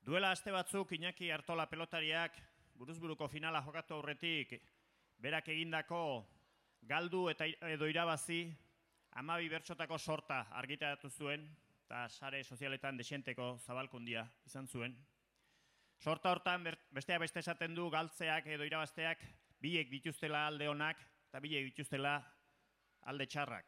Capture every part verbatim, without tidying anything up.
Duela aste batzuk Iñaki Artola pelotariak buruzburuko finala jokatu aurretik berak egindako galdu eta edo irabazi hamabi bertsotako sorta argitaratu zuen eta sare sozialetan desienteko zabalkundia izan zuen. Sorta hortan besteak beste esaten du galtzeak edo irabazteak biek dituztela alde onak eta biek dituztela alde txarrak.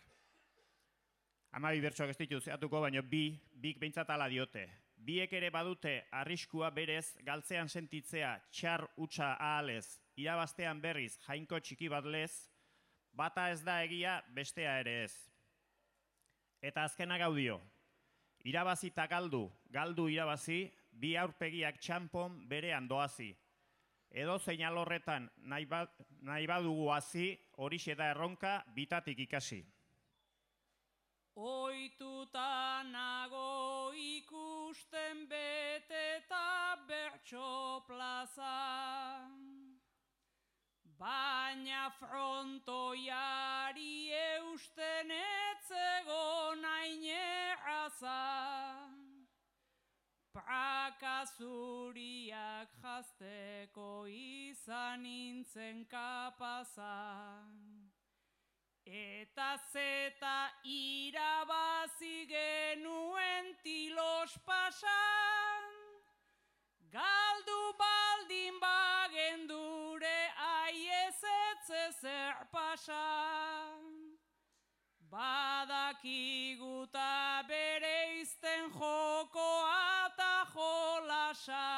Hamabi bertsoak ez dituz zehatuko, baina bi, bik behintzat ala diote. Biek ere badute arriskua berez galtzean sentitzea txar utxa ahalez, irabaztean berriz jainko txiki bat lez, bata ez da egia bestea ere ez. Eta azkena gaudio, irabazi eta galdu, galdu irabazi, bi aurpegiak txanpon berean doazi. Edo zein alorretan nahi, ba, nahi badugu hazi, horixe da erronka bitatik ikasi. Oituta nago ikusten beteta bertso plaza, baina frontoiari eusten etzegon haine aza. Praka zuriak jazteko izan nintzen kapaza. Eta zeta irabazi genuen tilos pasan, galdu baldin bagendure aiezetze zer pasan. Badakiguta bereizten jokoa eta jolasa,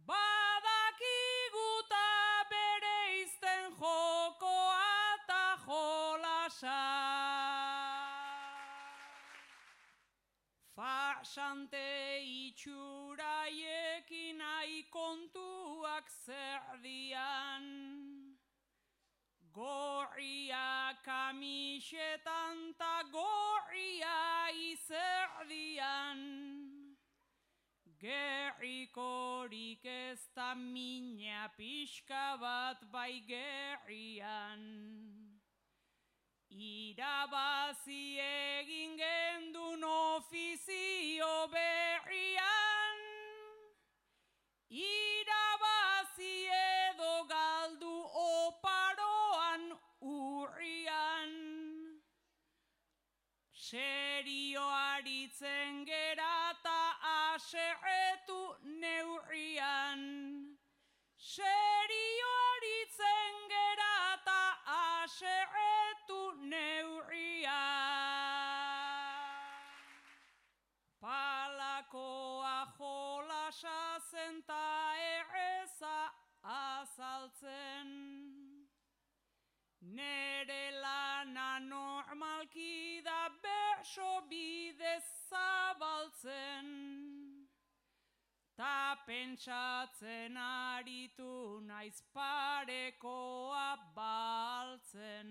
badakiguta bereizten jokoa eta jolasa. Farsante itxuraiekin nahi kontuak zer dian, gorria kamisetan ta gorria izerdian. Gerrikorik ez da mina pixka bat bai gerrian. Irabazi egin gendun ofizio berrian, irabazi edo galdu oparoan urrian. Serio aritzen gera ta aserretu neurrian. Serio aritzen gera ta aserretu neurrian. Palakoa jolasa zen ta erreza azaltzen. Nere lana normalki da berso bidez zabaltzen. Ta pentsatzen aritu naiz parekoa baltzen.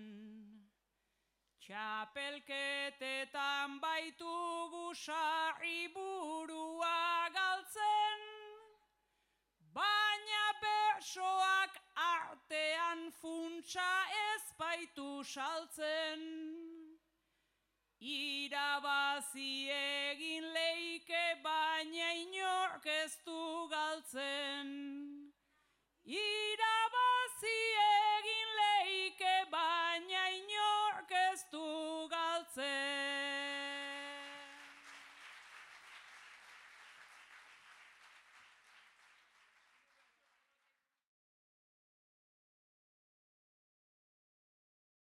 Txapelketetan baitugu sarri burua galtzen, baina bersoak artean funtsa ez baitu saltzen. Irabazi egin leike baina inork ez du galtzen.